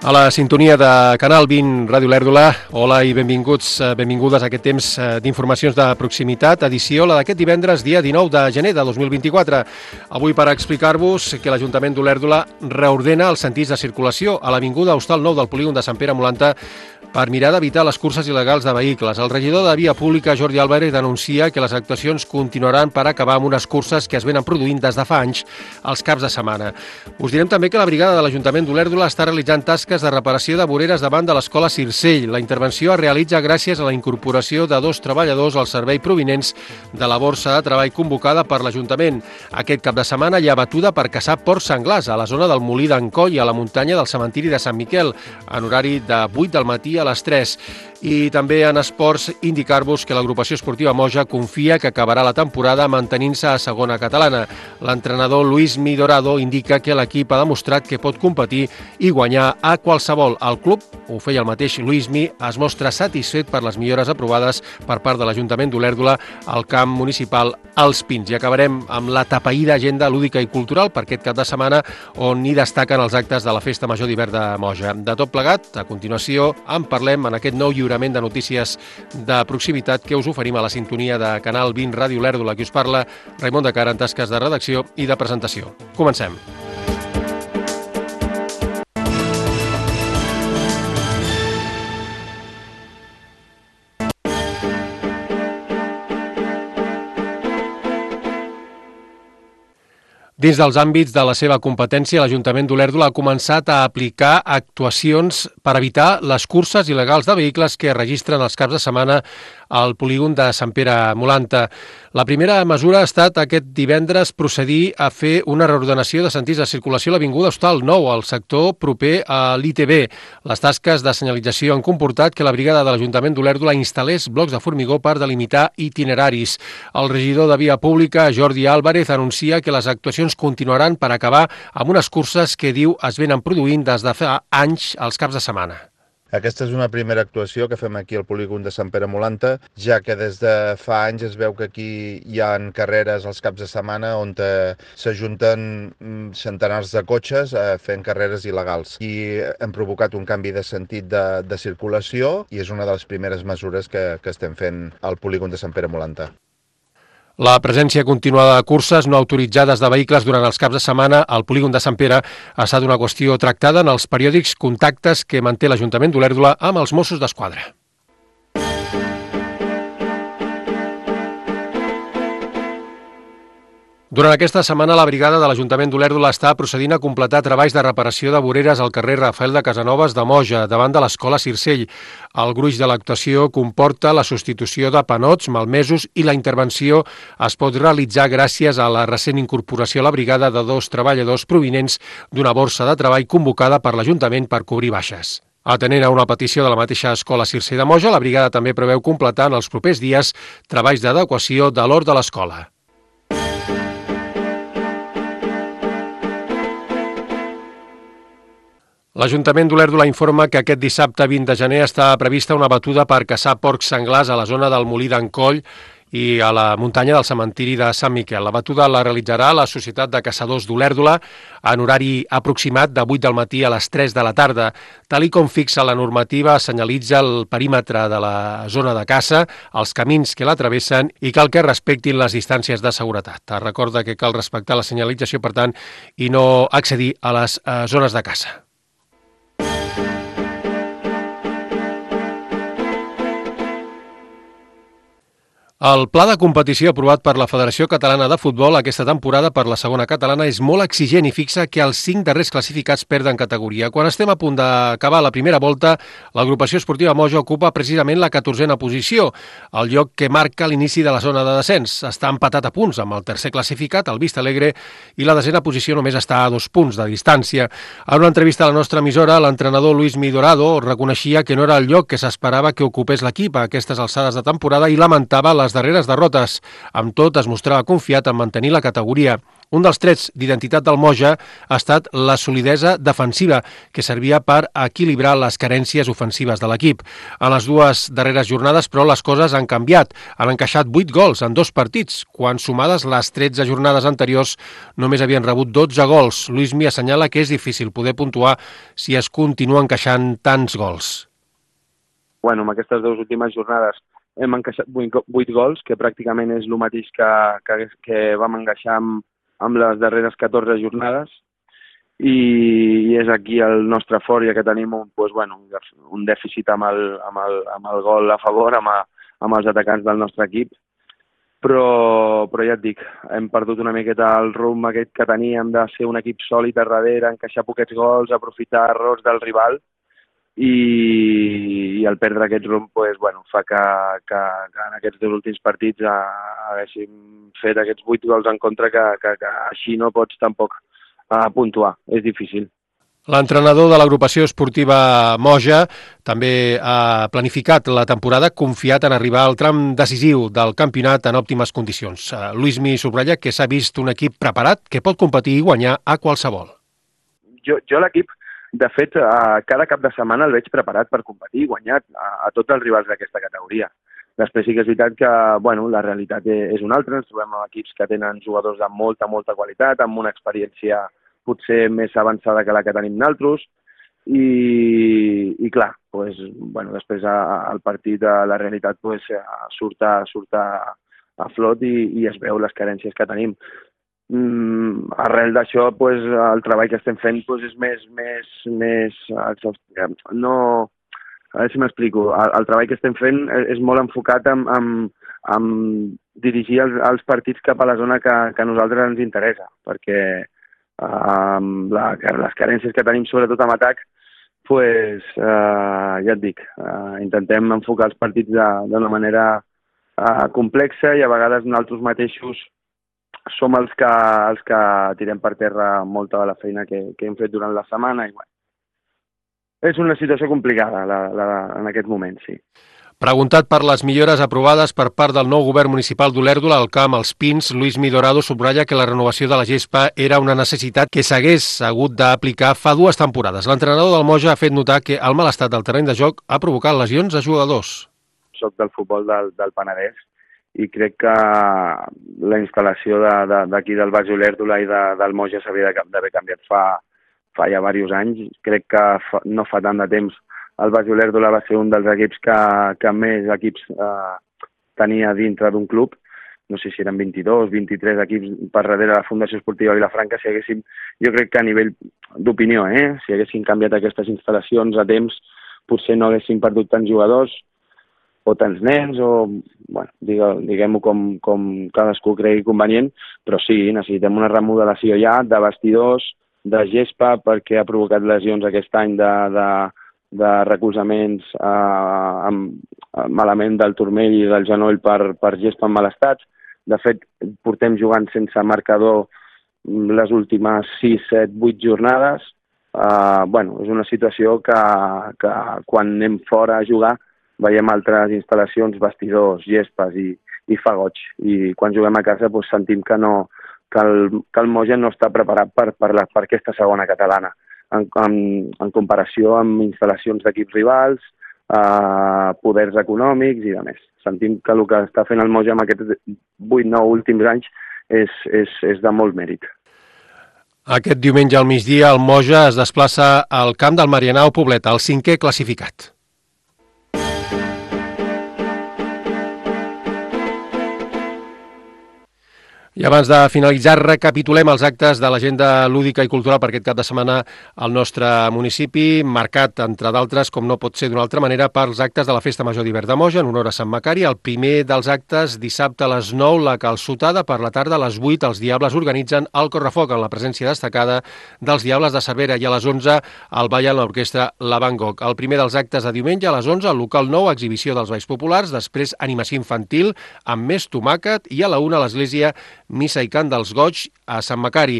A la sintonia de Canal 20 Ràdio Lèrdula, hola i benvingudes a aquest temps d'informacions de proximitat, edició la d'aquest divendres, dia 19 de gener de 2024. Avui per explicar-vos que l'Ajuntament d'Olèrdola reordena els sentits de circulació a l'Avinguda Hostal 9 del polígon de Sant Pere Molanta per mirar d'evitar les curses il·legals de vehicles. El regidor de Via Pública, Jordi Álvarez, denuncia que les actuacions continuaran per acabar amb unes curses que es venen produint des de fa anys als caps de setmana. Us direm també que la brigada de l'Ajuntament d'Olèrdola està realitzant tasques de reparació de voreres davant de l'escola Circell. La intervenció es realitza gràcies a la incorporació de 2 treballadors al servei provinents de la borsa de treball convocada per l'Ajuntament. Aquest cap de setmana hi ha batuda per caçar porcs senglars a la zona del Molí d'en Coll i a la muntanya del cementiri de Sant Miquel, en horari de 8 del matí a les 3. I també en esports indicar-vos que l'agrupació esportiva Moja confia que acabarà la temporada mantenint-se a segona catalana. L'entrenador Luis Midorado indica que l'equip ha demostrat que pot competir i guanyar a qualsevol. El club, ho feia el mateix Luismi, es mostra satisfet per les millores aprovades per part de l'Ajuntament d'Olèrdola al camp municipal Els Pins. I acabarem amb la tapaïda agenda lúdica i cultural per aquest cap de setmana on hi destaquen els actes de la Festa Major d'Hivern de Moja. De tot plegat, a continuació en parlem en aquest nou lliurament de notícies de proximitat que us oferim a la sintonia de Canal 20 Ràdio Lèrdula. Qui us parla, Raimon de Cara, en tasques de redacció i de presentació. Comencem. Dins dels àmbits de la seva competència, l'Ajuntament d'Olèrdola ha començat a aplicar actuacions per evitar les curses il·legals de vehicles que registren els caps de setmana al polígon de Sant Pere Molanta. La primera mesura ha estat aquest divendres procedir a fer una reordenació de sentits de circulació a l'Avinguda Hostal 9, al sector proper a l'ITB. Les tasques de senyalització han comportat que la brigada de l'Ajuntament d'Olèrdola instal·lés blocs de formigó per delimitar itineraris. El regidor de Via Pública, Jordi Álvarez, anuncia que les actuacions continuaran per acabar amb unes curses que, diu, es venen produint des de fa anys als caps de setmana. Aquesta és una primera actuació que fem aquí al polígon de Sant Pere Molanta, ja que des de fa anys es veu que aquí hi ha carreres als caps de setmana on s'ajunten centenars de cotxes fent carreres il·legals. I hem provocat un canvi de sentit de circulació i és una de les primeres mesures que estem fent al polígon de Sant Pere Molanta. La presència continuada de curses no autoritzades de vehicles durant els caps de setmana al polígon de Sant Pere ha estat una qüestió tractada en els periòdics contactes que manté l'Ajuntament d'Olèrdola amb els Mossos d'Esquadra. Durant aquesta setmana, la brigada de l'Ajuntament d'Olèrdola està procedint a completar treballs de reparació de voreres al carrer Rafael de Casanovas de Moja, davant de l'escola Circell. El gruix de l'actuació comporta la substitució de panots malmesos i la intervenció es pot realitzar gràcies a la recent incorporació a la brigada de 2 treballadors provinents d'una borsa de treball convocada per l'Ajuntament per cobrir baixes. Atenent a una petició de la mateixa escola Circell de Moja, la brigada també preveu completar en els propers dies treballs d'adequació de l'hort de l'escola. L'Ajuntament d'Olèrdola informa que aquest dissabte 20 de gener està prevista una batuda per caçar porcs senglars a la zona del Molí d'en Coll i a la muntanya del cementiri de Sant Miquel. La batuda la realitzarà la Societat de Caçadors d'Olèrdola en horari aproximat de 8 del matí a les 3 de la tarda. Tal i com fixa la normativa, senyalitza el perímetre de la zona de caça, els camins que la travessen i cal que respectin les distàncies de seguretat. Es recorda que cal respectar la senyalització, per tant, i no accedir a les zones de caça. El pla de competició aprovat per la Federació Catalana de Futbol aquesta temporada per la segona catalana és molt exigent i fixa que els 5 darrers classificats perden categoria. Quan estem a punt d'acabar la primera volta, l'agrupació esportiva Moja ocupa precisament la 14a posició, el lloc que marca l'inici de la zona de descens. Està empatat a punts amb el tercer classificat, el Vista Alegre, i la 10a posició només està a 2 punts de distància. En una entrevista a la nostra emissora, l'entrenador Luis Midorado reconeixia que no era el lloc que s'esperava que ocupés l'equip a aquestes alçades de temporada i lamentava les darreres derrotes. Amb tot, es mostrava confiat en mantenir la categoria. Un dels trets d'identitat del Moja ha estat la solidesa defensiva, que servia per equilibrar les carències ofensives de l'equip. En les dues darreres jornades, però, les coses han canviat. Han encaixat 8 gols en 2 partits, quan sumades les 13 jornades anteriors només havien rebut 12 gols. Luismi assenyala que és difícil poder puntuar si es continua encaixant tants gols. Bueno, en aquestes 2 últimes jornades hem encaixat 8 gols, que pràcticament és el mateix que vam encaixar amb les darreres 14 jornades, i és aquí el nostre fort, ja que tenim un dèficit amb el gol a favor, amb els atacants del nostre equip, però ja et dic, hem perdut una miqueta el rumb aquest que teníem de ser un equip sòlid a darrere, encaixar poquets gols, aprofitar errors del rival, i el perdre aquest rumb fa que en aquests 2 últims partits haguéssim fet aquests 8 gols en contra, que així no pots tampoc puntuar, és difícil. L'entrenador de l'agrupació esportiva Moja també ha planificat la temporada confiat en arribar al tram decisiu del campionat en òptimes condicions. Luismi subratlla que s'ha vist un equip preparat que pot competir i guanyar a qualsevol. Jo l'equip, de fet, cada cap de setmana el veig preparat per competir i guanyar a tots els rivals d'aquesta categoria. Després sí que és veritat que la realitat és una altra. Ens trobem amb equips que tenen jugadors de molta qualitat, amb una experiència potser més avançada que la que tenim nosaltres. I clar, després el partit, la realitat surt a flot i es veu les carències que tenim. Arrel d'això, el treball que estem fent és més no, a veure si m'explico. El treball que estem fent és molt enfocat en dirigir els partits cap a la zona que a nosaltres ens interessa, perquè les carències que tenim, sobretot en atac, ja et dic, intentem enfocar els partits d'una manera complexa, i a vegades nosaltres mateixos som els que tirem per terra molta de la feina que hem fet durant la setmana. És una situació complicada en aquest moment, sí. Preguntat per les millores aprovades per part del nou govern municipal d'Olèrdola al camp Els Pins, Luismi Dorado subratlla que la renovació de la gespa era una necessitat que s'hagués hagut d'aplicar fa 2 temporades. L'entrenador del Moja ha fet notar que el mal estat del terreny de joc ha provocat lesions a jugadors. Soc del futbol del Penedès, i crec que la instal·lació d'aquí del Baix Olèrdola i del Moja s'havia d'haver canviat fa ja diversos anys. Crec que no fa tant de temps el Baix Olèrdola va ser un dels equips que més equips tenia dintre d'un club. No sé si eren 22, 23 equips per darrere de la Fundació Esportiva Vilafranca. Jo crec que a nivell d'opinió, si haguessin canviat aquestes instal·lacions a temps, potser no haguessin perdut tants jugadors o tants nens, o diguem-ho com cadascú cregui convenient, però sí, necessitem una remodelació ja de vestidors, de gespa, perquè ha provocat lesions aquest any de recolzaments malament del turmell i del genoll per gespa en mal estat. De fet, portem jugant sense marcador les últimes 6, 7, 8 jornades. És una situació que quan anem fora a jugar veiem altres instal·lacions, vestidors, gespes i fa goig. I quan juguem a casa sentim que el Moja no està preparat per aquesta segona catalana, en comparació amb instal·lacions d'equips rivals, poders econòmics i demés. Sentim que el que està fent el Moja en aquests 8-9 últims anys és de molt mèrit. Aquest diumenge al migdia el Moja es desplaça al camp del Marianao Poblet, el 5è classificat. I abans de finalitzar, recapitulem els actes de l'agenda lúdica i cultural per aquest cap de setmana al nostre municipi, marcat, entre d'altres, com no pot ser d'una altra manera, pels actes de la Festa Major d'Hivern de Moja, en honor a Sant Macari. El primer dels actes, dissabte a les 9, la calçotada. Per la tarda, a les 8, els Diables organitzen el correfoc, en la presència destacada dels Diables de Cervera, i a les 11, el ball amb l'orquestra La Van Gogh. El primer dels actes de diumenge, a les 11, al local 9, exhibició dels balls populars, després animació infantil amb més tomàquet, i a la 1, a l'església Missa i Cant dels Goigs a Sant Macari.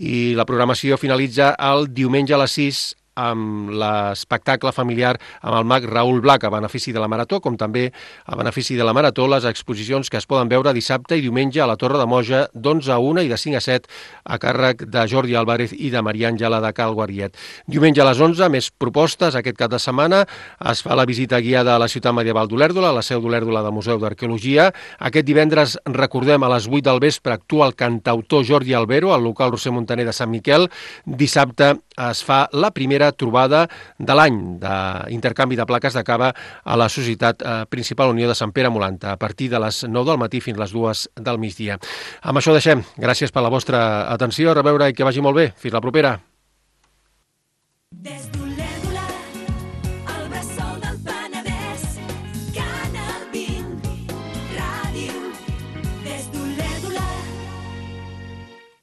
I la programació finalitza el diumenge a les 6 amb l'espectacle familiar amb el mag Raül Blac a benefici de la Marató, com també a benefici de la Marató les exposicions que es poden veure dissabte i diumenge a la Torre de Moja d'11 a 1 i de 5 a 7 a càrrec de Jordi Álvarez i de Maria Àngela de Cal Guariet. Diumenge a les 11, més propostes. Aquest cap de setmana es fa la visita guiada a la ciutat medieval d'Olèrdola, a la seu d'Olèrdola del Museu d'Arqueologia. Aquest divendres, recordem, a les 8 del vespre actua el cantautor Jordi Albero al local Roser Montaner de Sant Miquel. Dissabte es fa la primera trobada de l'any d'intercanvi de plaques de cava a la Societat Principal Unió de Sant Pere Molanta, a partir de les 9 del matí fins les 2 del migdia. Amb això deixem. Gràcies per la vostra atenció. A reveure i que vagi molt bé. Fins la propera.